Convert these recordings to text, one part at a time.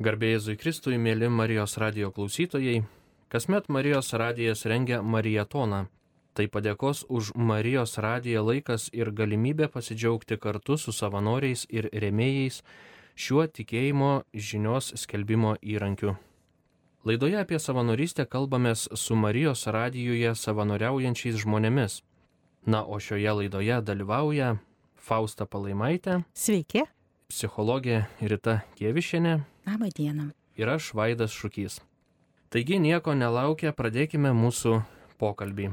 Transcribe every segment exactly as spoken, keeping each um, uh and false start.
Garbė Jėzui Kristui, mėly Marijos radijo klausytojai, kasmet Marijos radijas rengia Marietoną. Tai padėkos už Marijos radiją laikas ir galimybė pasidžiaugti kartu su savanoriais ir rėmėjais šiuo tikėjimo žinios skelbimo įrankiu. Laidoje apie savanorystę kalbamės su Marijos radijuje savanoriaujančiais žmonėmis. Na, o šioje laidoje dalyvauja Fausta Palaimaitė. Sveiki. Psichologė Rita Kievišienė. Labą dieną. Ir aš Vaidas Šukys. Taigi nieko nelaukia, pradėkime mūsų pokalbį.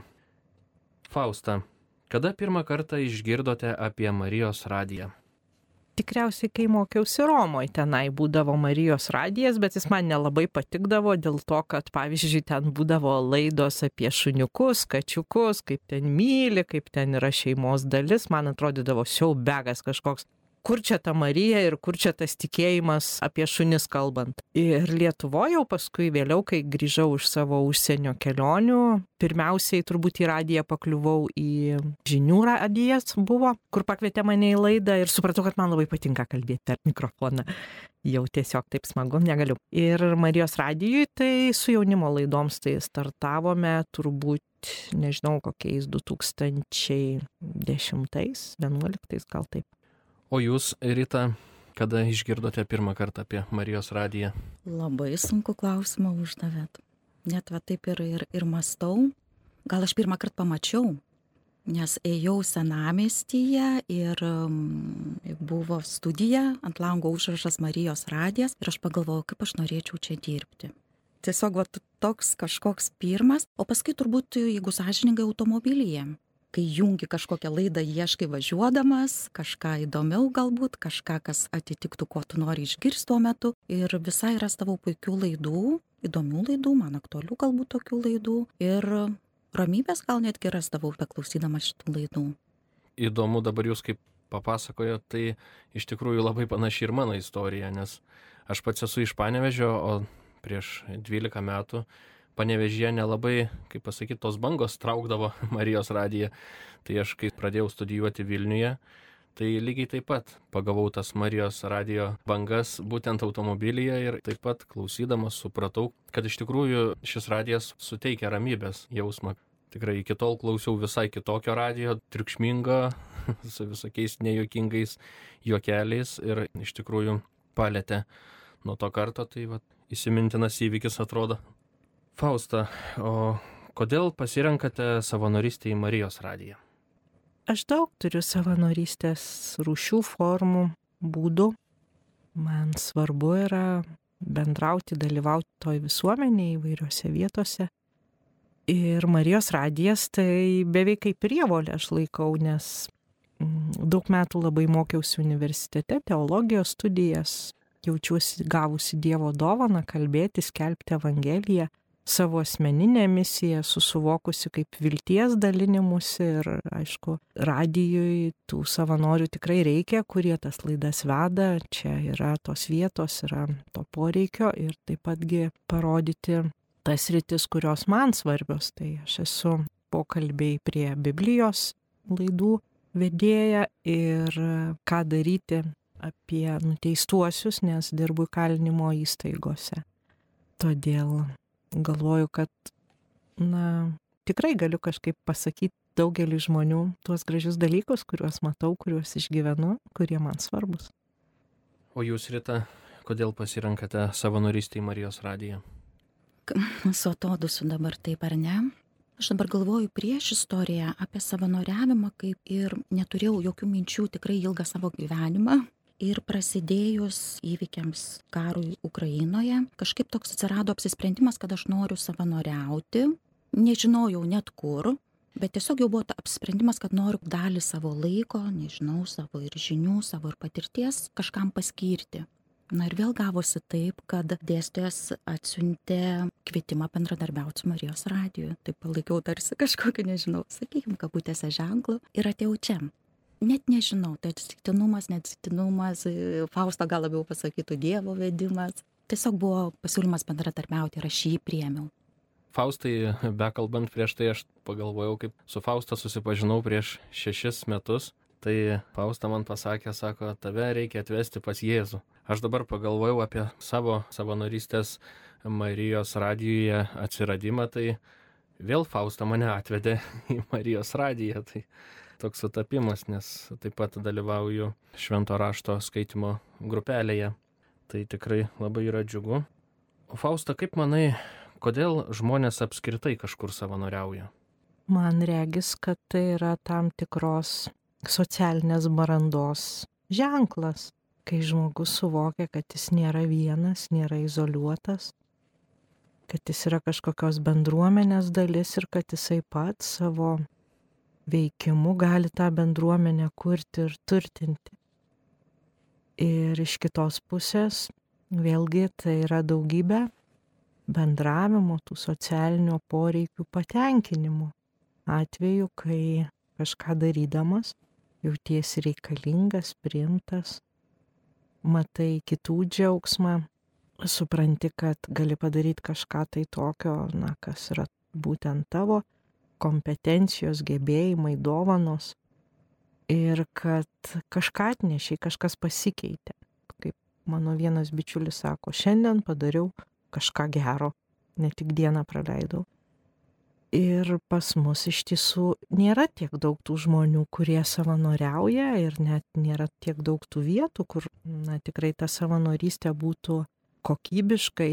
Fausta, kada pirmą kartą išgirdote apie Marijos radiją? Tikriausiai, kai mokiausi Romoje, tenai būdavo Marijos radijas, bet jis man nelabai patikdavo dėl to, kad, pavyzdžiui, ten būdavo laidos apie šuniukus, kačiukus, kaip ten myli, kaip ten yra šeimos dalis. Man atrodydavo siaubegas kažkoks. Kur čia ta Marija ir kur čia tas tikėjimas apie šunis kalbant. Ir Lietuvoje jau paskui vėliau, kai grįžau iš savo užsienio kelionių, pirmiausiai turbūt į radiją pakliuvau į žinių radijas buvo, kur pakvietė mane į laidą ir supratau, kad man labai patinka kalbėti per mikrofoną. Jau tiesiog taip smagu, negaliu. Ir Marijos radijui tai su jaunimo laidoms tai startavome turbūt, nežinau, kokiais du tūkstančiai dešimtais, vienuoliktais gal taip. O jūs, Rita, kada išgirdote pirmą kartą apie Marijos radiją? Labai sunku klausimą uždavėt. Net va taip ir, ir, ir mąstau. Gal aš pirmą kartą pamačiau, nes ėjau senamiestyje ir um, buvo studija, ant lango užrašas Marijos radijas ir aš pagalvojau, kaip aš norėčiau čia dirbti. Tiesiog va toks kažkoks pirmas, o paskui turbūt, jeigu sąžiningai, automobilyje. Kai jungi kažkokią laidą, ieškai važiuodamas, kažką įdomiau galbūt, kažką, kas atitiktų, ko tu nori išgirsti tuo metu. Ir visai rastavau puikių laidų, įdomių laidų, man aktualių galbūt tokių laidų. Ir ramybės gal netgi rasdavau, beklausydama šitų laidų. Įdomu dabar jūs kaip papasakojot, tai iš tikrųjų labai panaši ir mano istorija, nes aš pats esu iš Panevėžio, o prieš dvylika metų Panevėžyje nelabai, kaip pasakyti, tos bangos traukdavo Marijos radiją. Tai aš, kai pradėjau studijuoti Vilniuje, tai lygiai taip pat pagavau tas Marijos radijo bangas būtent automobilyje ir taip pat klausydamas supratau, kad iš tikrųjų šis radijas suteikia ramybės jausmą. Tikrai iki tol klausiau visai kitokio radijo, triukšmingo, su visokiais nejuokingais juokeliais ir iš tikrųjų palėtė nuo to karto, tai va, įsimintinas įvykis atrodo. Fausta, o kodėl pasirenkate savanorystę į Marijos radiją? Aš daug turiu savanorystės rūšių, formų, būdų. Man svarbu yra bendrauti, dalyvauti toj visuomenėje įvairiose vietose. Ir Marijos radijas tai beveik kaip prievolė aš laikau, nes daug metų labai mokiausi universitete, teologijos studijas, jaučiuosi gavusi Dievo dovaną kalbėti, skelbti Evangeliją. Savo asmeninę misiją susuvokusi kaip vilties dalinimusi ir, aišku, radijui tų savanorių tikrai reikia, kurie tas laidas veda. Čia yra tos vietos, yra to poreikio ir taip patgi parodyti tas sritis, kurios man svarbios. Tai aš esu pokalbiai prie Biblijos laidų vedėja ir ką daryti apie nuteistuosius, nes dirbu įkalinimo įstaigose. Todėl galvoju, kad, na, tikrai galiu kažkaip pasakyti daugelį žmonių tuos gražius dalykus, kuriuos matau, kuriuos išgyvenu, kurie man svarbus. O jūs, Rita, kodėl pasirenkate savanorystę į Marijos radiją? Su atodusiu dabar taip ar ne? Aš dabar galvoju prieš istoriją apie savanoriavimą, kaip ir neturėjau jokių minčių tikrai ilgą savo gyvenimą. Ir prasidėjus įvykiams karui Ukrainoje, kažkaip toks atsirado apsisprendimas, kad aš noriu savanoriauti. Nežinojau net kur, bet tiesiog jau buvo apsisprendimas, kad noriu dalį savo laiko, nežinau, savo ir žinių, savo ir patirties kažkam paskirti. Na ir vėl gavosi taip, kad dėstytojas atsiuntė kvietimą bendradarbiauti su Marijos radiju. Taip palaikiau tarsi kažkokį, nežinau, sakykime, kabutėse ženklų ir atėjau čia. Net nežinau, tai atsitiktinumas, neatsitiktinumas, Fausta gal labiau pasakytų Dievo vedimas. Tiesiog buvo pasiūlymas bendradarbiauti ir aš jį priėmiau. Faustai, bekalbant prieš tai, aš pagalvojau, kaip su Fausta susipažinau prieš šešis metus. Tai Fausta man pasakė, sako, tave reikia atvesti pas Jėzų. Aš dabar pagalvojau apie savo savanorystės Marijos radijuje atsiradimą, tai vėl Fausta mane atvedė į Marijos radiją. Tai toks sutapimas, nes taip pat dalyvauju švento rašto skaitimo grupelėje. Tai tikrai labai yra džiugu. O Fausta, kaip manai, kodėl žmonės apskritai kažkur savanoriauja? Man regis, kad tai yra tam tikros socialinės brandos ženklas, kai žmogus suvokia, kad jis nėra vienas, nėra izoliuotas, kad jis yra kažkokios bendruomenės dalis ir kad jisai pats savo veikimu gali tą bendruomenę kurti ir turtinti. Ir iš kitos pusės, vėlgi, tai yra daugybė bendravimo, tų socialinių poreikių patenkinimo. Atveju, kai kažką darydamas, jautiesi reikalingas, priimtas, matai kitų džiaugsmą, supranti, kad gali padaryti kažką tai tokio, na, kas yra būtent tavo kompetencijos, gebėjimai, dovanos ir kad kažką atnešiai, kažkas pasikeitė. Kaip mano vienas bičiulis sako, šiandien padariau kažką gero, ne tik dieną praleidau. Ir pas mus iš tiesų nėra tiek daug tų žmonių, kurie savanoriauja ir net nėra tiek daug tų vietų, kur na, tikrai ta savanorystė būtų kokybiškai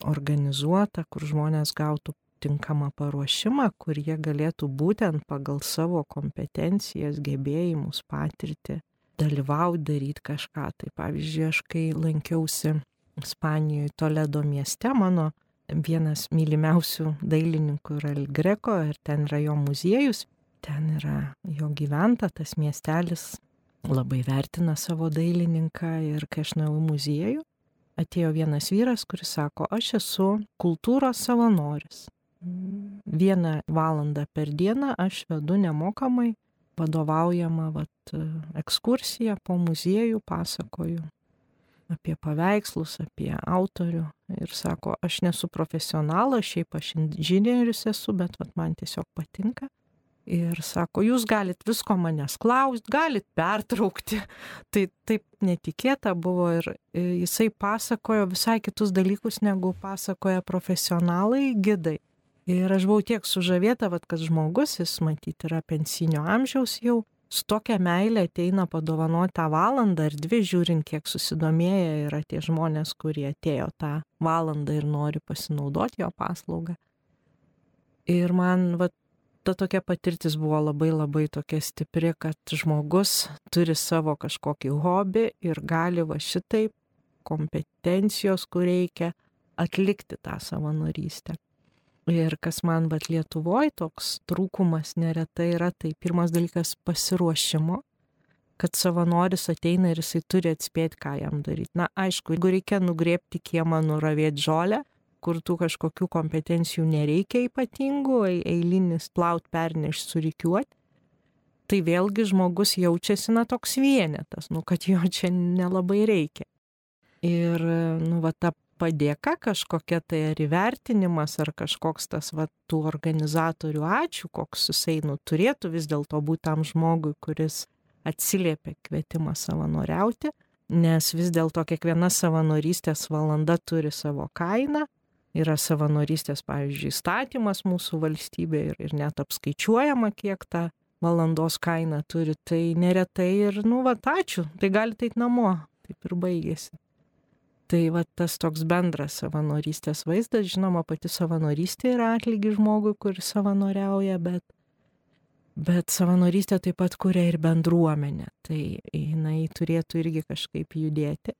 organizuota, kur žmonės gautų tinkamą paruošimą, kur jie galėtų būtent pagal savo kompetencijas, gebėjimus, patirtį dalyvauti, daryti kažką. Tai pavyzdžiui, aš kai lankiausi Ispanijoje Toledo mieste, mano vienas mylimiausių dailininkų yra El Greco ir ten yra jo muziejus, ten yra jo gyventa, tas miestelis labai vertina savo dailininką ir kai aš nuėjau į muziejų, atėjo vienas vyras, kuris sako, aš esu kultūros savanoris. Vieną valandą per dieną aš vedu nemokamai vadovaujamą vat, ekskursiją po muziejų, pasakoju apie paveikslus, apie autorių ir sako, aš nesu profesionalas, šiaip aš inžinierius esu, bet vat, man tiesiog patinka. Ir sako, jūs galit visko manęs klausti, galit pertraukti. Tai taip netikėta buvo ir jisai pasakojo visai kitus dalykus, negu pasakoja profesionalai, gidai. Ir aš buvau tiek sužavėta, vat, kad žmogus, jis matyti yra pensinio amžiaus jau, su tokia meilė ateina padovanoti tą valandą ar dvi, žiūrint, kiek susidomėję yra tie žmonės, kurie atėjo tą valandą ir nori pasinaudoti jo paslaugą. Ir man vat, ta tokia patirtis buvo labai labai tokia stipri, kad žmogus turi savo kažkokį hobį ir gali va šitaip kompetencijos, kur reikia atlikti tą savanorystę. Ir kas man vat Lietuvoje toks trūkumas neretai yra, tai pirmas dalykas pasiruošimo, kad savanoris ateina ir jisai turi atspėti, ką jam daryti. Na, aišku, jeigu reikia nugrėbti kiemą, nuravėti žolę, kur tų kažkokių kompetencijų nereikia ypatingų, eilinis plaut, pernešti, surikiuoti, tai vėlgi žmogus jaučiasi na toks vienetas, nu, kad jo čia nelabai reikia. Ir, nu, va, ta padėka kažkokia tai ar įvertinimas, ar kažkoks tas va, tų organizatorių ačiū, koks jisai nu, turėtų vis dėlto būti tam žmogui, kuris atsiliepia kvietimą savanoriauti, nes vis dėlto kiekviena savanorystės valanda turi savo kainą, yra savanorystės, pavyzdžiui, įstatymas mūsų valstybė ir, ir net apskaičiuojama, kiek ta valandos kaina turi, tai neretai ir, nu, va, ačiū, tai galite eiti namo, taip ir baigėsi. Tai va tas toks bendras savanorystės vaizdas, žinoma, pati savanorystė yra atlygis žmogui, kuris savanoriauja, bet, bet savanorystė taip pat kuria ir bendruomenė, tai jinai turėtų irgi kažkaip judėti.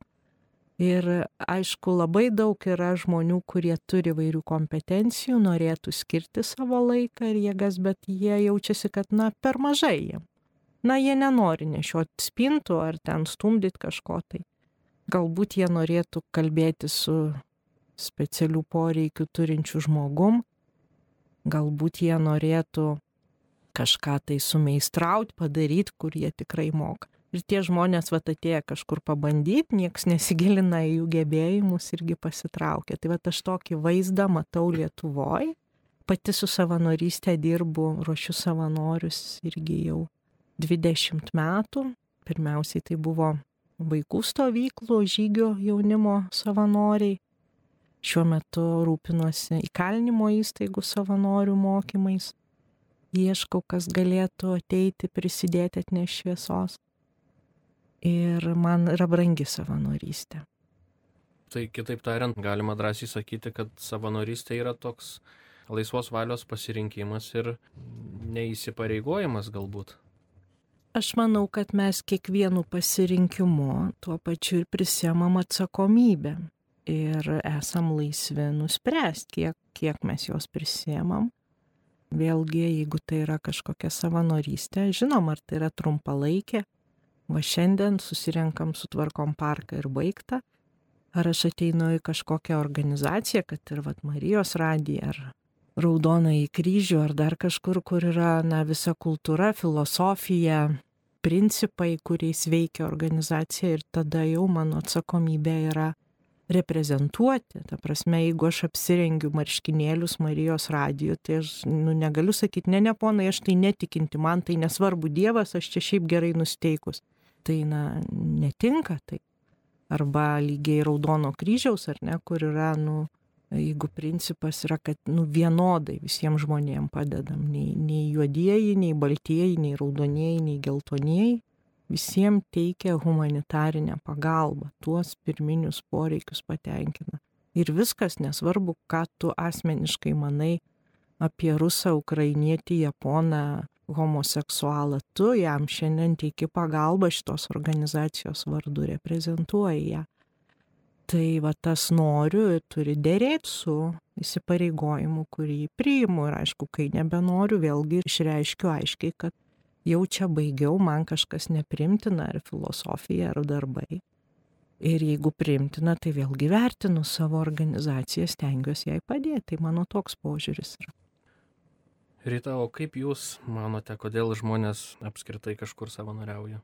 Ir aišku, labai daug yra žmonių, kurie turi vairių kompetencijų, norėtų skirti savo laiką ir jėgas, bet jie jaučiasi, kad na, per mažai jiem. Na, jie nenori nešioti spintų ar ten stumdyti kažko tai. Galbūt jie norėtų kalbėti su specialių poreikių turinčių žmogum, galbūt jie norėtų kažką tai sumeistrauti, padaryti, kur jie tikrai moka. Ir tie žmonės vat atėję kažkur pabandyti, nieks nesigilina į jų gebėjimus irgi pasitraukia. Tai vat aš tokį vaizdą matau Lietuvoje, pati su savanorystė dirbu, ruošiu savanorius irgi jau dvidešimt metų. Pirmiausiai tai buvo vaikų stovyklų, žygio jaunimo savanoriai. Šiuo metu rūpinuosi įkalinimo įstaigų savanorių mokymais. Ieškau, kas galėtų ateiti, prisidėti, atnešti šviesos. Ir man yra brangi savanorystė. Tai kitaip tariant, galima drąsiai sakyti, kad savanorystė yra toks laisvos valios pasirinkimas ir neįsipareigojimas galbūt. Aš manau, kad mes kiekvienu pasirinkimu tuo pačiu ir prisiemam atsakomybę. Ir esam laisvi nuspręsti, kiek, kiek mes jos prisiemam. Vėlgi, jeigu tai yra kažkokia savanorystė, žinom, ar tai yra trumpalaikė, va šiandien susirenkam, sutvarkom parką ir baigta, ar aš ateinu į kažkokią organizaciją, kad ir vat Marijos radiją, ar Raudonąjį kryžių, ar dar kažkur, kur yra na, visa kultūra, filosofija, principai, kuriais veikia organizacija, ir tada jau mano atsakomybė yra reprezentuoti. Ta prasme, jeigu aš apsirengiu marškinėlius Marijos radiju, tai aš nu, negaliu sakyti, ne, ne, ponai, aš tai netikinti, man tai nesvarbu Dievas, aš čia šiaip gerai nusteikus. Tai na, netinka tai. Arba lygiai Raudono kryžiaus, ar ne, kur yra, nu, jeigu principas yra, kad nu, vienodai visiems žmonėms padedam, nei, nei juodieji, nei baltieji, nei raudonieji, nei geltonieji, visiems teikia humanitarinę pagalbą, tuos pirminius poreikius patenkina. Ir viskas, nesvarbu, ką tu asmeniškai manai apie rusą, ukrainietį, japoną, homoseksualą, tu jam šiandien teiki pagalbą, šitos organizacijos vardu reprezentuoji ją. Tai va tas noriu turi dėrėti su įsipareigojimu, kurį priimu. Ir aišku, kai nebenoriu, vėlgi išreiškiu aiškiai, kad jau čia baigiau, man kažkas neprimtina, ar filosofija, ar darbai. Ir jeigu primtina, tai vėlgi vertinu savo organizaciją, stengiuosi jai padėti. Tai mano toks požiūris yra. Rita, o kaip jūs manote, kodėl žmonės apskritai kažkur savanoriauja?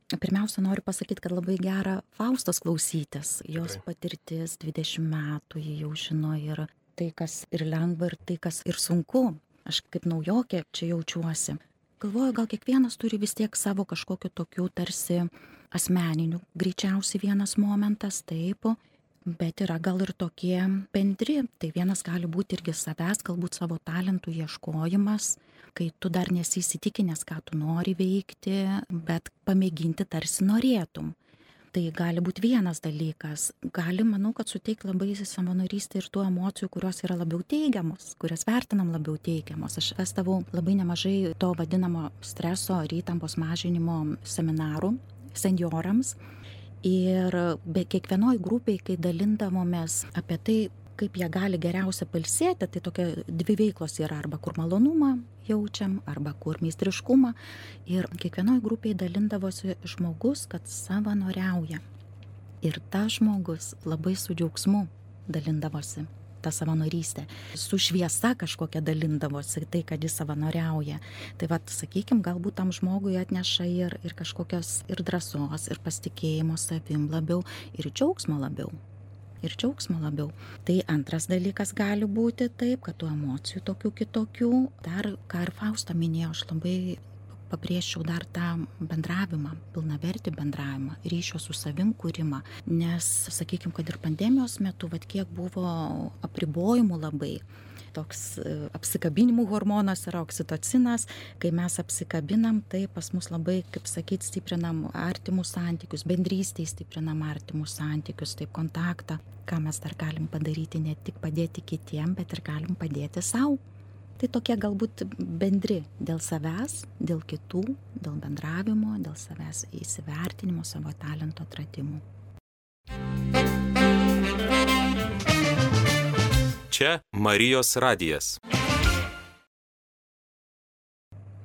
Pirmiausia, noriu pasakyti, kad labai gera Faustos klausytis. Jos Tikrai. patirtis dvidešimt metų, ji jau žino ir tai, kas ir lengva, ir tai, kas ir sunku. Aš kaip naujokė čia jaučiuosi. Galvoju, gal kiekvienas turi vis tiek savo kažkokiu tokiu tarsi asmeniniu, greičiausiai vienas momentas, taip, bet yra gal ir tokie bendri. Tai vienas gali būti irgi savęs, galbūt savo talentų ieškojimas, kai tu dar nesi įsitikinęs, ką tu nori veikti, bet pamėginti tarsi norėtum. Tai gali būti vienas dalykas. Gali, manau, kad suteikti labai savanorystę ir tų emocijų, kurios yra labiau teigiamos, kurias vertinam labiau teigiamos. Aš vestavau labai nemažai to vadinamo streso ir įtampos mažinimo seminarų senjorams. Ir be kiekvienoj grupiai, kai dalindavomės apie tai, kaip jie gali geriausia pailsėti, tai tokia dvi veiklos yra, arba kur malonumą jaučiam, arba kur meistriškumą. Ir kiekvienoj grupiai dalindavosi žmogus, kad savanoriauja. Ir tas žmogus labai su džiaugsmu dalindavosi tą savanorystę. Su šviesa kažkokia dalindavosi tai, kad jis savanoriauja. Tai vat, sakykim, galbūt tam žmogui atneša ir, ir kažkokios ir drąsos, ir pasitikėjimo savim labiau, ir džiaugsmo labiau. Ir džiaugsmo labiau. Tai antras dalykas gali būti taip, kad tų emocijų tokių kitokių. Dar, ką ir Fausta minėjo, aš labai pabrėžčiau dar tą bendravimą, pilnavertį bendravimą, ryšio su savim kūrimą. Nes, sakykime, kad ir pandemijos metu, vat kiek buvo apribojimų labai, toks apsikabinimų hormonas yra oksitocinas, kai mes apsikabinam, tai pas mus labai, kaip sakyti, stiprinam artimus santykius, bendrystėj stiprinam artimus santykius, taip kontaktą, ką mes dar galim padaryti, ne tik padėti kitiem, bet ir galim padėti sau. Tai tokie galbūt bendri dėl savęs, dėl kitų, dėl bendravimo, dėl savęs įsivertinimo, savo talento atradimų. Čia Marijos radijas.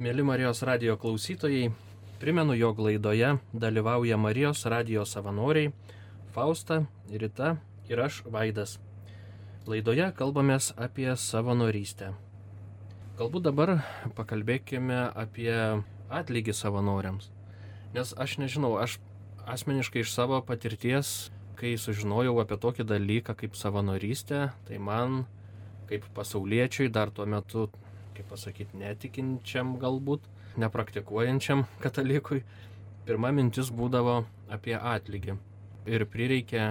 Mėly Marijos radijo klausytojai, primenu, jog laidoje dalyvauja Marijos radijo savanoriai Fausta, Rita ir aš, Vaidas. Laidoje kalbamės apie savanorystę. Galbūt dabar pakalbėkime apie atlygį savanoriams. Nes aš nežinau, aš asmeniškai iš savo patirties, kai sužinojau apie tokį dalyką kaip savanorystė, tai man kaip pasauliečiui dar tuo metu, kaip pasakyti, netikinčiam galbūt, nepraktikuojančiam katalikui, pirma mintis būdavo apie atlygį. Ir prireikė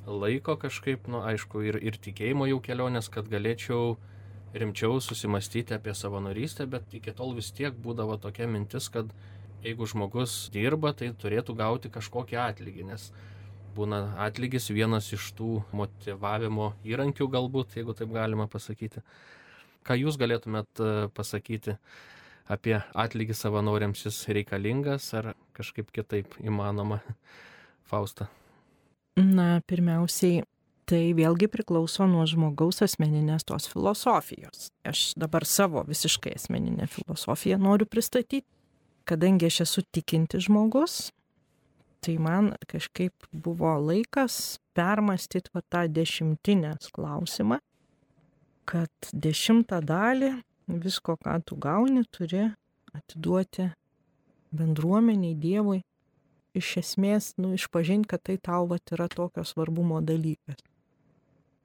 laiko kažkaip, nu aišku, ir, ir tikėjimo jau kelionės, kad galėčiau rimčiau susimastyti apie savanorystę, bet iki tol vis tiek būdavo tokia mintis, kad jeigu žmogus dirba, tai turėtų gauti kažkokį atlygį, nes būna atlygis vienas iš tų motyvavimo įrankių galbūt, jeigu taip galima pasakyti. Ką jūs galėtumėt pasakyti apie atlygį savanoriams, jis reikalingas ar kažkaip kitaip įmanoma, Fausta? Na, pirmiausiai, tai vėlgi priklauso nuo žmogaus asmeninės tos filosofijos. Aš dabar savo visiškai asmeninę filosofiją noriu pristatyti. Kadangi aš esu tikinti žmogus, tai man kažkaip buvo laikas permastyti va tą dešimtinės klausimą, kad dešimtą dalį visko, ką tu gauni, turi atiduoti bendruomeniai, Dievui. Iš esmės, nu, išpažinti, kad tai tau vat yra tokio svarbumo dalykas.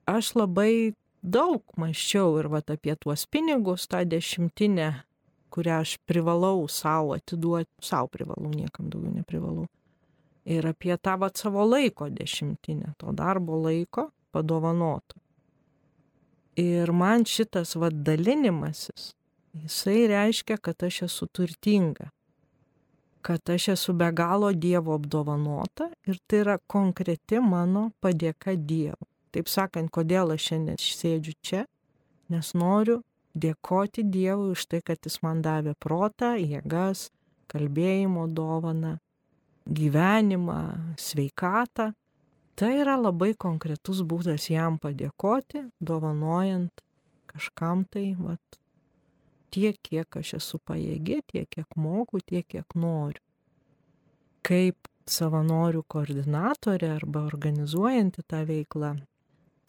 Aš labai daug mąsčiau ir vat apie tuos pinigus, tą dešimtinę, kurią aš privalau savo atiduoti, savo privalau, niekam daugiau neprivalau. Ir apie tą vat savo laiko dešimtinę, to darbo laiko padovanoto. Ir man šitas vat dalinimasis, jisai reiškia, kad aš esu turtinga, kad aš esu be galo Dievo apdovanota ir tai yra konkreti mano padėka Dievui. Taip sakant, kodėl aš šiandien sėdžiu čia, nes noriu dėkoti Dievui už tai, kad jis man davė protą, jėgas, kalbėjimo dovaną, gyvenimą, sveikatą. Tai yra labai konkretus būdas jam padėkoti, dovanojant kažkam tai, vat, tiek, kiek aš esu pajėgi, tiek, kiek moku, tiek, kiek noriu. Kaip savanorių koordinatorė arba organizuojanti tą veiklą,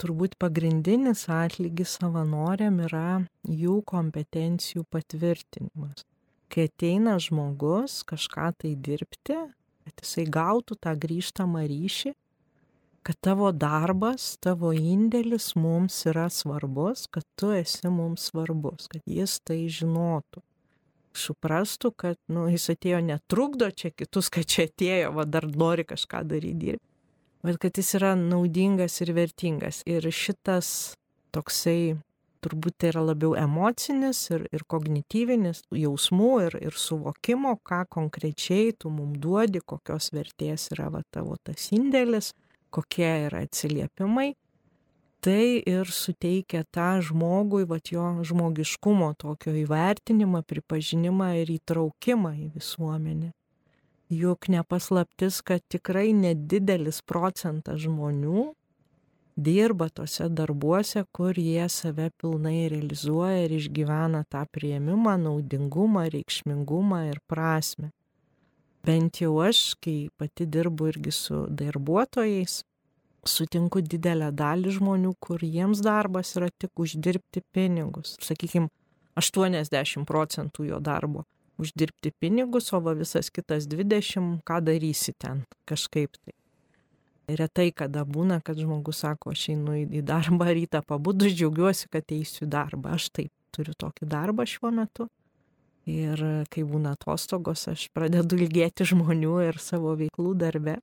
turbūt pagrindinis atlygis savanoriam yra jų kompetencijų patvirtinimas. Kai ateina žmogus kažką tai dirbti, kad jisai gautų tą grįžtamą ryšį, kad tavo darbas, tavo indėlis mums yra svarbus, kad tu esi mums svarbus, kad jis tai žinotų. Suprastų, kad nu, jis atėjo netrukdo čia kitus, kad čia atėjo, va dar nori kažką daryti dirbti, bet kad jis yra naudingas ir vertingas. Ir šitas toksai, turbūt tai yra labiau emocinis ir, ir kognityvinis jausmų ir, ir suvokimo, ką konkrečiai tu mum duodi, kokios vertės yra va tavo tas indėlis, kokie yra atsiliepimai, tai ir suteikia tą žmogui, vat jo žmogiškumo tokio įvertinimą, pripažinimą ir įtraukimą į visuomenę. Juk nepaslaptis, kad tikrai nedidelis procentas žmonių dirba tose darbuose, kur jie save pilnai realizuoja ir išgyvena tą priėmimą, naudingumą, reikšmingumą ir prasmę. Bent jau aš, kai pati dirbu irgi su darbuotojais, sutinku didelę dalį žmonių, kur jiems darbas yra tik uždirbti pinigus. Sakykime, aštuoniasdešimt procentų jo darbo uždirbti pinigus, o va visas kitas dvidešimt, ką darysi ten kažkaip tai. Retai kada būna, kad žmogus sako, aš einu į darbą rytą pabudus, džiaugiuosi, kad eisiu į darbą. Aš taip turiu tokį darbą šiuo metu. Ir kai būna atostogos, aš pradedu ilgėti žmonių ir savo veiklų darbe.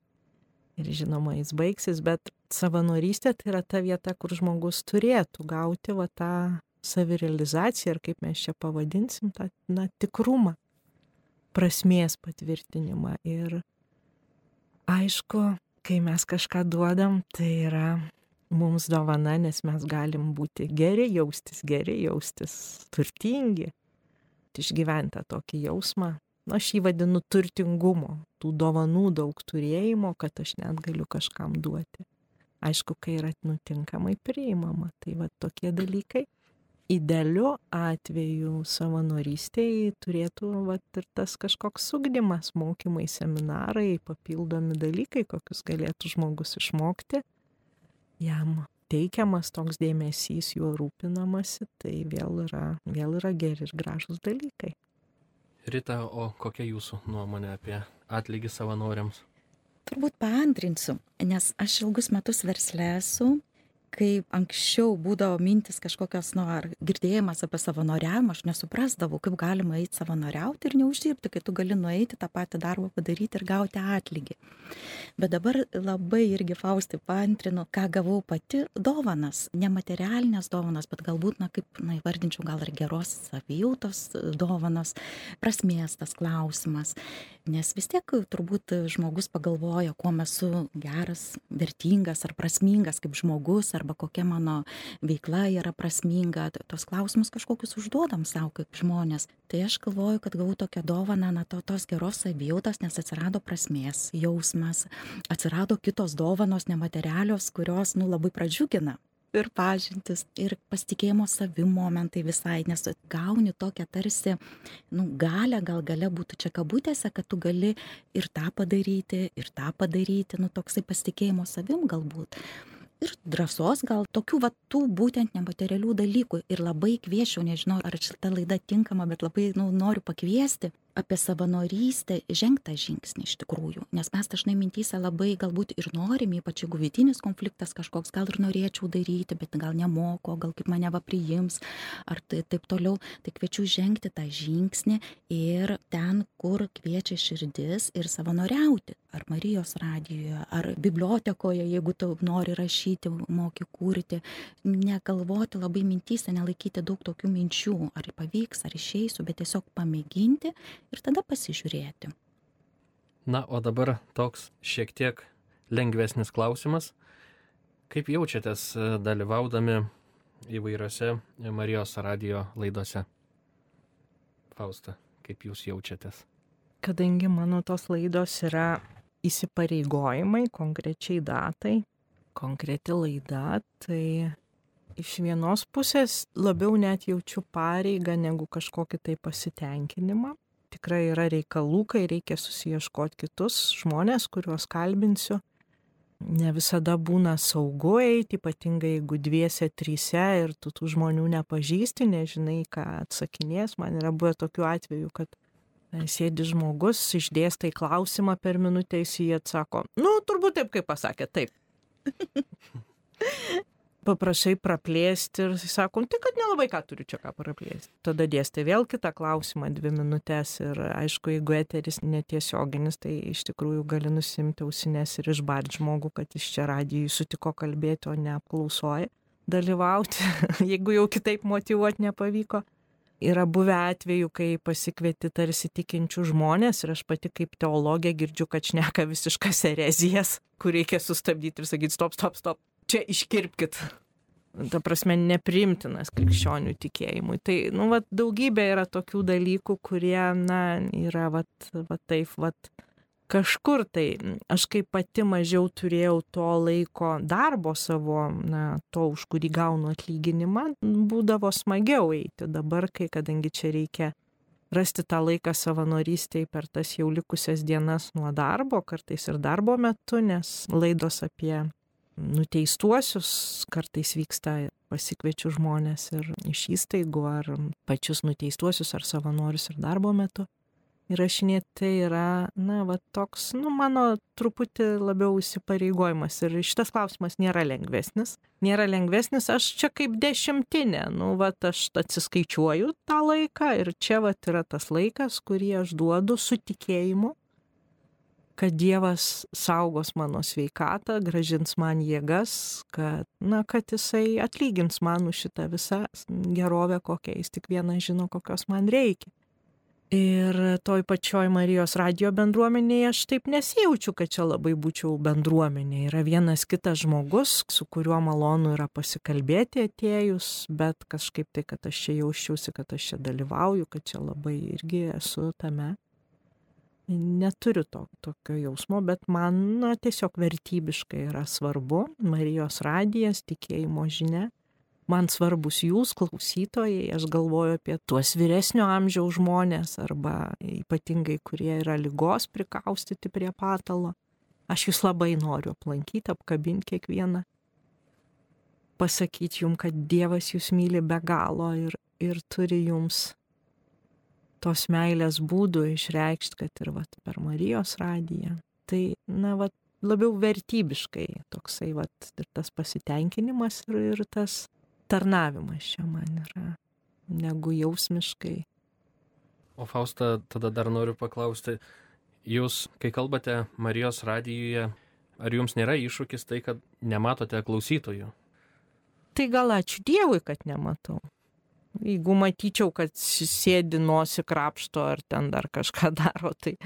Ir žinoma, jis baigsis, bet savanorystė tai yra ta vieta, kur žmogus turėtų gauti va tą savirealizaciją, ir kaip mes čia pavadinsim, tą na, tikrumą, prasmės patvirtinimą. Ir aišku, kai mes kažką duodam, tai yra mums dovana, nes mes galim būti geri, jaustis geri, jaustis turtingi. Išgyventi tokį jausmą, aš jį vadinu turtingumo, tų dovanų daug turėjimo, kad aš net galiu kažkam duoti. Aišku, kai yra nutinkamai priimama, tai va tokie dalykai. Idealiu atveju savanorystėje turėtų va ir tas kažkoks ugdymas, mokymai, seminarai, papildomi dalykai, kokius galėtų žmogus išmokti. Jam teikiamas toks dėmesys, juo rūpinamasi, tai vėl yra, vėl yra geri ir gražus dalykai. Rita, o kokia jūsų nuomonė apie atlygį savanoriams? Turbūt paantrinsiu, nes aš ilgus metus versle esu kai anksčiau būdavo mintis kažkokios, nu, ar girdėjimas apie savanoriavimą, aš nesuprasdavau, kaip galima eiti savanoriauti ir neuždirbti, kai tu gali nueiti tą patį darbą padaryti ir gauti atlygį. Bet dabar labai irgi Faustai paantrinu, ką gavau pati dovanas, nematerialinės dovanas, bet galbūt, na, kaip, na, įvardinčiau, gal ir geros savijautos dovanas, prasmės tas klausimas. Nes vis tiek turbūt žmogus pagalvoja, kuo esu geras, vertingas ar prasmingas kaip žmogus, arba kokia mano veikla yra prasminga. Tos klausimus kažkokius užduodam savo kaip žmonės. Tai aš galvoju, kad gavau tokią dovaną, na, to, tos geros savijautos, nes atsirado prasmės jausmas, atsirado kitos dovanos nematerialios, kurios, nu, labai pradžiugina. Ir pažintis, ir pasitikėjimo savim momentai visai, nes gauni tokią tarsi, nu, galę, gal galia būtų čia kabutėse, kad tu gali ir tą padaryti, ir tą padaryti, nu, toksai pasitikėjimo savim galbūt. Ir drąsos gal tokių, va, tų būtent nematerialių dalykų. Ir labai kvieščiau, nežinau, ar šita laida tinkama, bet labai, nu, noriu pakviesti apie savanorystę, žengtą žingsnį iš tikrųjų. Nes mes dažnai mintyse labai galbūt ir norim, ypač jeigu vidinis konfliktas kažkoks, gal ir norėčiau daryti, bet gal nemoko, gal kaip mane va priims, ar tai, taip toliau. Tai kviečiu žengti tą žingsnį ir ten, kur kviečia širdis, ir savanoriauti. Ar Marijos radijoje, ar bibliotekoje, jeigu tu nori rašyti, moki kurti. Negalvoti labai mintyse, nelaikyti daug tokių minčių, ar pavyks, ar išeisiu, bet tiesiog pamėginti ir tada pasižiūrėti. Na, o dabar toks šiek tiek lengvesnis klausimas. Kaip jaučiatės dalyvaudami įvairiose Marijos radijo laidose? Fausta, kaip jūs jaučiatės? Kadangi mano tos laidos yra įsipareigojimai konkrečiai datai, konkreti laida, tai iš vienos pusės labiau net jaučiu pareigą negu kažkokį tai pasitenkinimą. Tikrai yra reikalų, kai reikia susiieškoti kitus žmonės, kuriuos kalbinsiu. Ne visada būna saugu eiti, ypatingai jeigu dviese, tryse ir tu tų žmonių nepažįsti, nežinai, ką atsakinės. Man yra buvę tokių atvejų, kad sėdi žmogus, išdėstai klausimą per minutę, jis jį atsako, nu, turbūt taip, kaip pasakė, taip. Paprašai praplėsti ir jis sako, tai kad nelabai ką turiu čia ką praplėsti. Tada dėstai vėl kitą klausimą dvi minutės ir aišku, jeigu eteris netiesioginis, tai iš tikrųjų gali nusimti ausines ir išbart žmogų, kad iš čia radijui sutiko kalbėti, o ne apklausoje dalyvauti, jeigu jau kitaip motyvuoti nepavyko. Yra buvę atvejų, kai pasikvieti tarsi tikinčių žmonės ir aš pati kaip teologė girdžiu, kad šneka visiškas erezijas, kur reikia sustabdyti ir sakyti stop, stop, stop. Čia iškirpkit. Ta prasme, nepriimtinas krikščionių tikėjimui. Tai, nu, vat, daugybė yra tokių dalykų, kurie, na, yra, vat, vat, taip, vat, kažkur tai. Aš kaip pati mažiau turėjau to laiko darbo savo, na, to, už kurį gaunu atlyginimą, būdavo smagiau eiti. Dabar, kai, kadangi čia reikia rasti tą laiką savanorystėj per tas jau likusias dienas nuo darbo, kartais ir darbo metu, nes laidos apie nuteistuosius kartais vyksta, pasikviečiu žmonės ir iš įstaigų, ar pačius nuteistuosius, ar savanorius ir darbo metu. Įrašinėti tai yra, na, va, toks, nu, mano truputį labiau įsipareigojimas. Ir šitas klausimas nėra lengvesnis. Nėra lengvesnis, aš čia kaip dešimtinė, nu, va, aš atsiskaičiuoju tą laiką ir čia, va, yra tas laikas, kurį aš duodu su tikėjimu, kad Dievas saugos mano sveikatą, gražins man jėgas, kad, na, kad jisai atlygins man už šitą visą gerovę, kokią jis tik vienas žino, kokios man reikia. Ir toj pačioj Marijos radijo bendruomenėje aš taip nesijaučiu, kad čia labai būčiau bendruomenė. Yra vienas kitas žmogus, su kuriuo malonu yra pasikalbėti atėjus, bet kažkaip tai, kad aš čia jausčiausi, kad aš čia dalyvauju, kad čia labai irgi esu tame. Neturiu to, tokio jausmo, bet man, na, tiesiog vertybiškai yra svarbu Marijos radijas, tikėjimo žinia. Man svarbus jūs, klausytojai, aš galvoju apie tuos vyresnio amžiaus žmonės arba ypatingai, kurie yra ligos prikaustyti prie patalo. Aš jūs labai noriu aplankyti, apkabinti kiekvieną. Pasakyti jums, kad Dievas jūs myli be galo ir, ir turi jums tos meilės būdų išreikšti, kad ir vat, per Marijos radiją. Tai, na, vat, labiau vertybiškai toksai, vat, ir tas pasitenkinimas ir, ir tas tarnavimas čia man yra, negu jausmiškai. O Fausta, tada dar noriu paklausti, jūs, kai kalbate Marijos radijuje, ar jums nėra iššūkis tai, kad nematote klausytojų? Tai gal ačiū Dievui, kad nematau. Jeigu matyčiau, kad sėdi nosį krapšto ar ten dar kažką daro, tai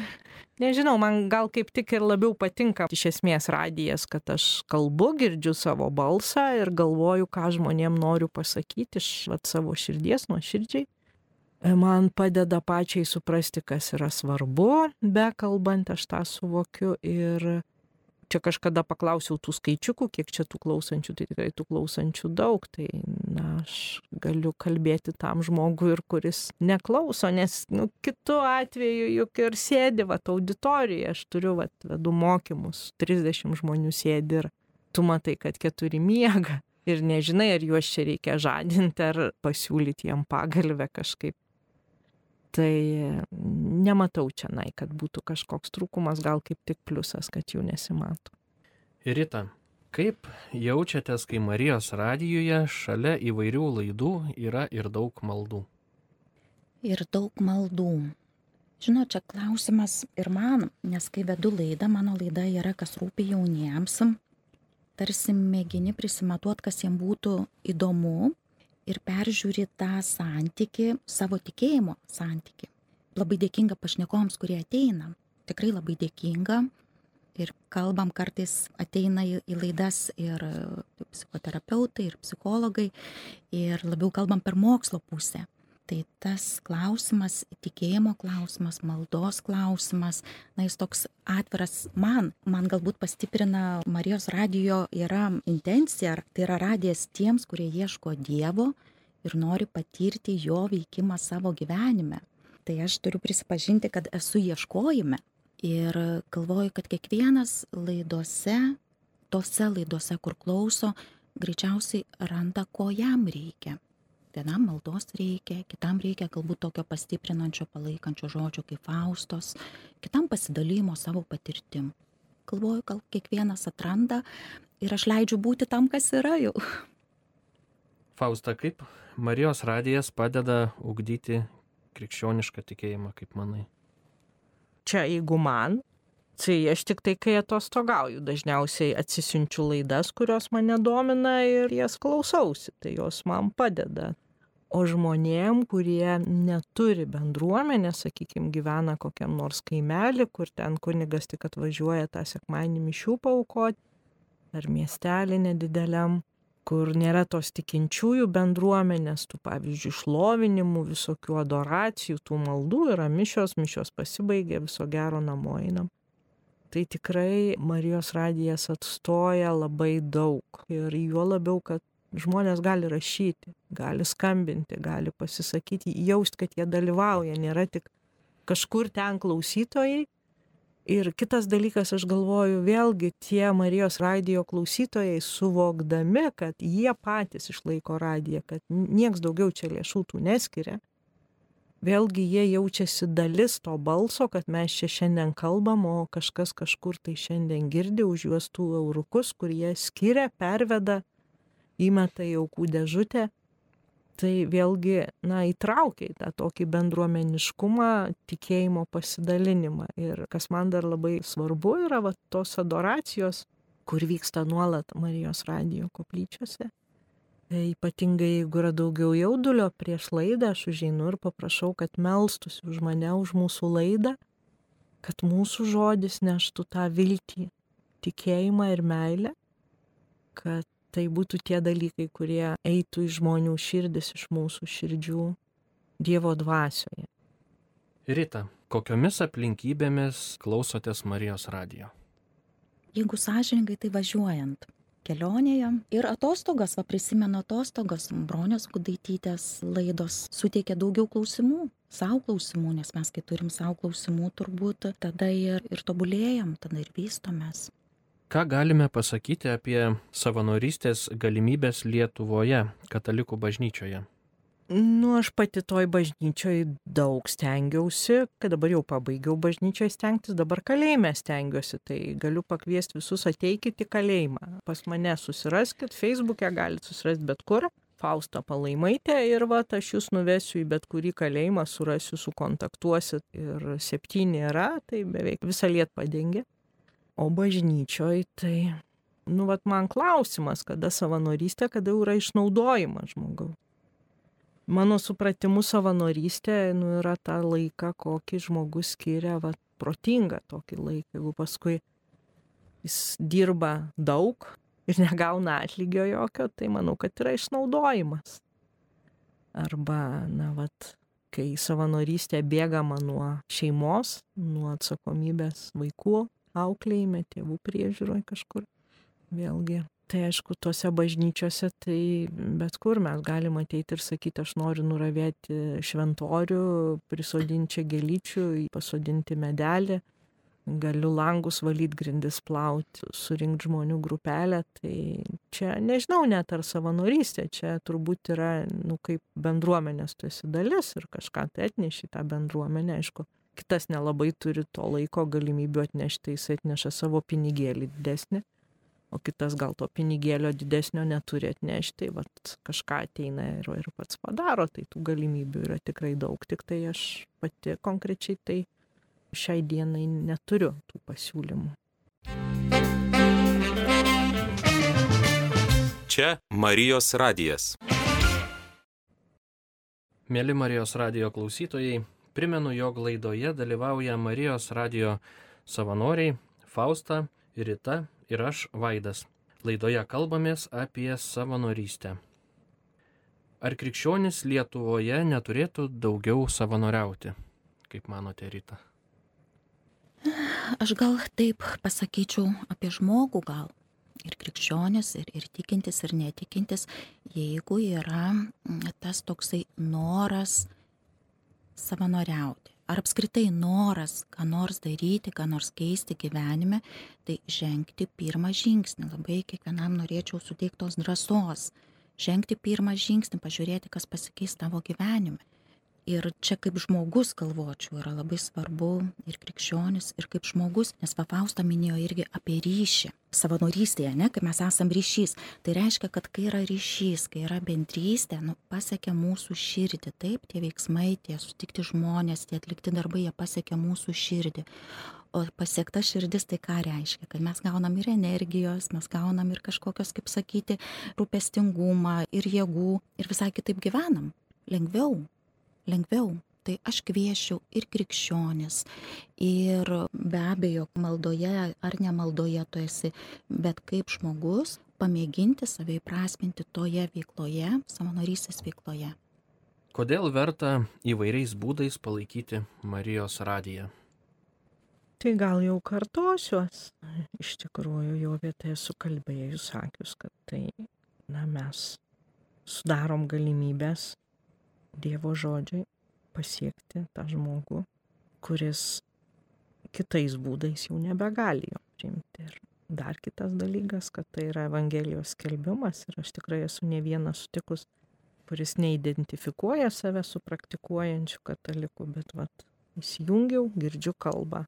nežinau, man gal kaip tik ir labiau patinka iš esmės radijas, kad aš kalbu, girdžiu savo balsą ir galvoju, ką žmonėm noriu pasakyti iš vat, savo širdies, nuoširdžiai. Man padeda pačiai suprasti, kas yra svarbu, be kalbant aš tą suvokiu ir čia kažkada paklausiau tų skaičiukų, kiek čia tų klausančių, tai tikrai tų klausančių daug, tai na, aš galiu kalbėti tam žmogui ir kuris neklauso, nes nu, kitu atveju juk ir sėdi vat, auditorijoje, aš turiu vat, vedu mokymus, trisdešimt žmonių sėdi ir tu matai, kad keturi miega ir nežinai, ar juos čia reikia žadinti, ar pasiūlyti jam pagalvę kažkaip. Tai nematau čia, nai, kad būtų kažkoks trūkumas, gal kaip tik pliusas, kad jų nesimato. Rita, kaip jaučiatės, kai Marijos radijuje šalia įvairių laidų yra ir daug maldų? Ir daug maldų. Žinot, čia klausimas ir man, nes kai vedu laidą, mano laida yra kas rūpi jauniems, tarsi mėgini prisimatuoti, kas jiems būtų įdomu. Ir peržiūri tą santykį, savo tikėjimo santykį. Labai dėkinga pašnekovams, kurie ateina. Tikrai labai dėkinga. Ir kalbam kartais ateina į, į laidas ir psichoterapeutai, ir psichologai. Ir labiau kalbam per mokslo pusę. Tai tas klausimas, tikėjimo klausimas, maldos klausimas, na jis toks atviras man. Man galbūt pastiprina Marijos radijo yra intencija, tai yra radijas tiems, kurie ieško Dievo ir nori patirti jo veikimą savo gyvenime. Tai aš turiu prisipažinti, kad esu ieškojime ir galvoju, kad kiekvienas laidose, tose laidose, kur klauso, greičiausiai randa, ko jam reikia. Vienam maldos reikia, kitam reikia galbūt tokio pastiprinančio, palaikančio žodžio kaip Faustos, kitam pasidalymo savo patirtim. Galvoju, gal kiekvienas atranda ir aš leidžiu būti tam, kas yra jau. Fausta, kaip Marijos radijas padeda ugdyti krikščionišką tikėjimą, kaip manai? Čia jeigu man, tai aš tik tai, kai atostogauju, dažniausiai atsisiunčiu laidas, kurios mane domina ir jas klausausi, tai jos man padeda. O žmonėm, kurie neturi bendruomenės, sakykime, gyvena kokiam nors kaimelį, kur ten kunigas tik atvažiuoja tą sekmadienį mišių paaukoti, ar miestelį nedideliam, kur nėra tos tikinčiųjų bendruomenės, tų pavyzdžiui šlovinimų, visokių adoracijų, tų maldų yra mišios, mišios pasibaigė, viso gero namo einam. Tai tikrai Marijos radijas atstoja labai daug ir juo labiau, kad žmonės gali rašyti, gali skambinti, gali pasisakyti, jaust, kad jie dalyvauja, nėra tik kažkur ten klausytojai. Ir kitas dalykas, aš galvoju, vėlgi tie Marijos radijo klausytojai suvokdami, kad jie patys išlaiko radiją, kad nieks daugiau čia lėšų tų neskiria. Vėlgi jie jaučiasi dalis to balso, kad mes čia šiandien kalbam, o kažkas kažkur tai šiandien girdi už juos tų eurukus, kur jie skiria, perveda, įmeta į aukų dėžutę. Tai vėlgi, na, įtraukia į tą tokį bendruomeniškumą, tikėjimo pasidalinimą. Ir kas man dar labai svarbu yra, va, tos adoracijos, kur vyksta nuolat Marijos radijo koplyčiose. Ypatingai, jeigu yra daugiau jaudulio prieš laidą, aš užeinu ir paprašau, kad melstųsi už mane, už mūsų laidą, kad mūsų žodis neštų tą viltį, tikėjimą ir meilę, kad tai būtų tie dalykai, kurie eitų iš žmonių širdis, iš mūsų širdžių Dievo dvasioje. Rita, kokiomis aplinkybėmis klausotės Marijos radijo? Jeigu sąžiningai, tai važiuojant. Kelionėje ir atostogas, va prisimenu atostogas, Bronios Gudaitytės laidos suteikia daugiau klausimų, savo klausimų, nes mes kai turim savo klausimų turbūt, tada ir, ir tobulėjam, tada ir vystomės. Ką galime pasakyti apie savanorystės galimybės Lietuvoje, katalikų bažnyčioje? Nu, aš pati toj bažnyčioj daug stengiausi, kad dabar jau pabaigiau bažnyčioj stengtis, dabar kalėjime stengiuosi, tai galiu pakviesti visus ateikit į kalėjimą. Pas mane susiraskit, Facebook'e galite susirasti bet kur, Fausta Palaimaitė, ir va, aš jūs nuvesiu į bet kurį kalėjimą, surasiu, sukontaktuosit, ir septyni yra, tai beveik visą Lietuvą padengia. O bažnyčioj tai, nu, vat man klausimas, kada savanorystė, kada yra išnaudojimas žmogaus. Mano supratimu savanorystė, nu, yra ta laika, kokį žmogus skiria, va, protingą tokį laiką. Jeigu paskui jis dirba daug ir negauna atlygio jokio, tai manau, kad yra išnaudojimas. Arba, na, vat, kai savanorystė bėgama nuo šeimos, nuo atsakomybės vaikų auklėjime, tėvų priežiūroje kažkur. Vėlgi. Tai aišku, tuose bažnyčiose, tai bet kur mes galime ateiti ir sakyti, aš noriu nuravėti šventorių, prisodinti čia gėlyčių, pasodinti medelį, galiu langus valyti, grindis plauti, surinkti žmonių grupelę. Tai čia nežinau net ar savanorystė, čia turbūt yra, nu, kaip bendruomenės tu esi dalis ir kažką tai atneši tą bendruomenę, aišku. Kitas nelabai turi to laiko galimybių atnešti, jis atneša savo pinigėlį didesnį. O kitas gal to pinigėlio didesnio neturi atnešti, vat kažką ateina ir, ir pats padaro, tai tų galimybių yra tikrai daug, tik tai aš pati konkrečiai tai šiai dienai neturiu tų pasiūlymų. Čia Marijos radijas. Mėly Marijos radijo klausytojai, primenu, jog laidoje dalyvauja Marijos radijo savanoriai Fausta, Rita ir aš, Vaidas. Laidoje kalbamės apie savanorystę. Ar krikščionys Lietuvoje neturėtų daugiau savanoriauti? Kaip manote, Rita? Aš gal taip pasakyčiau apie žmogų gal. Ir krikščionis, ir, ir tikintis, ir netikintis, jeigu yra tas toksai noras savanoriauti. Ar apskritai noras ką nors daryti, ką nors keisti gyvenime, tai žengti pirmą žingsnį. Labai kiekvienam norėčiau suteikti tos drąsos. Žengti pirmą žingsnį, pažiūrėti, kas pasikeis tavo gyvenime. Ir čia kaip žmogus galvočiau yra labai svarbu ir krikščionis, ir kaip žmogus, nes Fausta minėjo irgi apie ryšį. Savanorystėje, ne, kai mes esam ryšys, tai reiškia, kad kai yra ryšys, kai yra bendrystė, nu, pasiekia mūsų širdį, taip, tie veiksmai, tie sutikti žmonės, tie atlikti darbai, jie pasiekia mūsų širdį. O pasiekta širdis tai ką reiškia, kad mes gaunam ir energijos, mes gaunam ir kažkokios, kaip sakyti, rūpestingumą, ir jėgų, ir visai kitaip gyvenam, lengviau. Lengviau. Tai aš kviesčiau ir krikščionis, ir be abejo maldoje ar nemaldoje tu esi, bet kaip žmogus pamėginti save įprasminti toje veikloje, savanorystės veikloje. Kodėl verta įvairiais būdais palaikyti Marijos radiją? Tai gal jau kartosiuos. Iš tikrųjų, jau vietoje esu kalbėjus, sakius, kad tai, na, mes sudarom galimybės Dievo žodžiai pasiekti tą žmogų, kuris kitais būdais jau nebegali jo priimti. Ir dar kitas dalykas, kad tai yra Evangelijos skelbimas, ir aš tikrai esu ne vieną sutikus, kuris neidentifikuoja save su praktikuojančiu kataliku, bet vat, įsijungiau, girdžiu kalbą,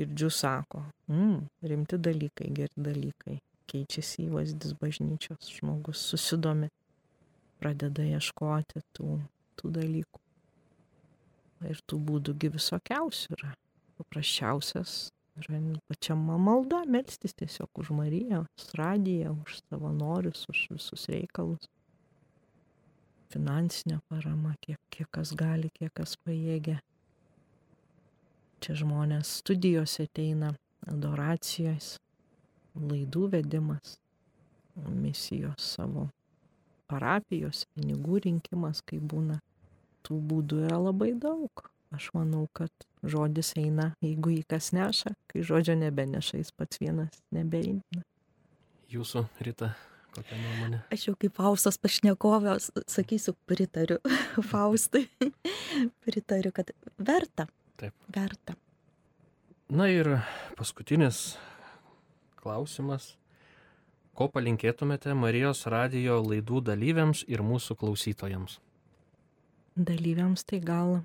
girdžiu sako, mm, rimti dalykai, geri dalykai, keičiasi įvaizdis bažnyčios, žmogus susidomi, pradeda ieškoti tų, tų dalykų. Ir tų būdų visokiausių yra. Paprasčiausias yra pačia malda, melstis tiesiog už Mariją, už radiją, už savanorius, už visus reikalus. Finansinė parama, kiek, kiek kas gali, kiek kas pajėgia. Čia žmonės studijose ateina, adoracijos, laidų vedimas, misijos savo parapijos, pinigų rinkimas, kai būna. Tų būdų yra labai daug. Aš manau, kad žodis eina, jeigu jį kas neša, kai žodžio nebeneša, jis pats vienas nebeina. Jūsų, Rita, kokia nuomonė? Aš jau kaip Faustos pašnekovės sakysiu, pritariu Faustai. Pritariu, kad verta. Taip. Verta. Na ir paskutinis klausimas. Ko palinkėtumėte Marijos radijo laidų dalyviams ir mūsų klausytojams? dalyviams tai gal,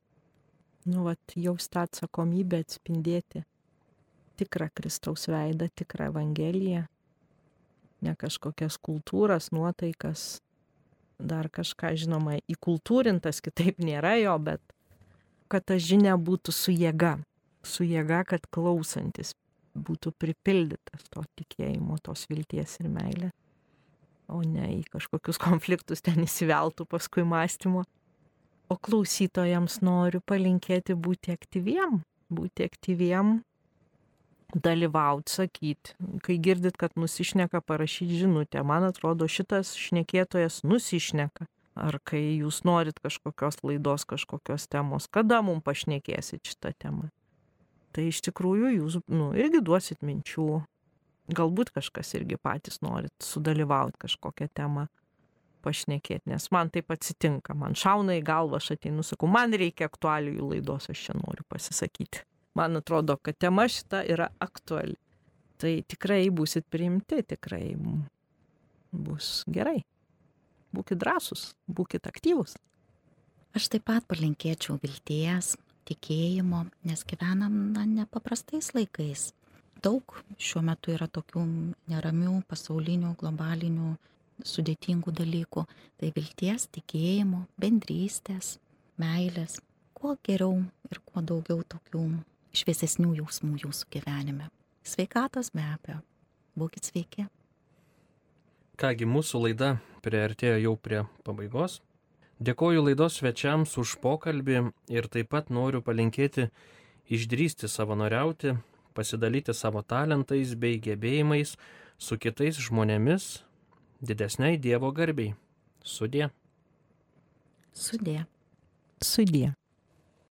nu, vat, jaus tą atsakomybę atspindėti tikrą Kristaus veidą, tikrą Evangeliją, ne kažkokias kultūras, nuotaikas, dar kažką, žinoma, įkultūrintas, kitaip nėra jo, bet kad ta žinia būtų su jėga, su jėga, kad klausantis būtų pripildytas to tikėjimo, tos vilties ir meilės, o ne į kažkokius konfliktus ten įsiveltų paskui mąstymo. O klausytojams noriu palinkėti būti aktyviem, būti aktyviem, dalyvauti, sakyti. Kai girdit, kad nusišneka, parašyti žinutę. Man atrodo, šitas šnekėtojas nusišneka. Ar kai jūs norit kažkokios laidos, kažkokios temos, kada mums pašnekėsit šitą temą. Tai iš tikrųjų jūs, nu, irgi duosit minčių. Galbūt kažkas irgi patys norit sudalyvauti kažkokią temą, pašnekėti, nes man taip atsitinka. Man šauna į galvą, aš ateinu, sakau, man reikia aktualijų laidos, aš čia noriu pasisakyti. Man atrodo, kad tema šita yra aktuali. Tai tikrai būsit priimti, tikrai bus gerai. Būkit drąsūs, būkit aktyvūs. Aš taip pat palinkėčiau vilties, tikėjimo, nes gyvenam na, nepaprastais laikais. Daug šiuo metu yra tokių neramių, pasaulinių, globalinių, sudėtingų dalykų. Tai vilties, tikėjimo, bendrystės, meilės. Kuo geriau ir kuo daugiau tokių šviesesnių jausmų jūsų gyvenime. Sveikatos be abejo. Būkit sveiki. Kągi, mūsų laida priartėjo jau prie pabaigos. Dėkoju laidos svečiams už pokalbį ir taip pat noriu palinkėti išdrįsti savanoriauti, pasidalyti savo talentais bei gebėjimais su kitais žmonėmis didesniai Dievo garbei. Sudie. Sudie. Sudie.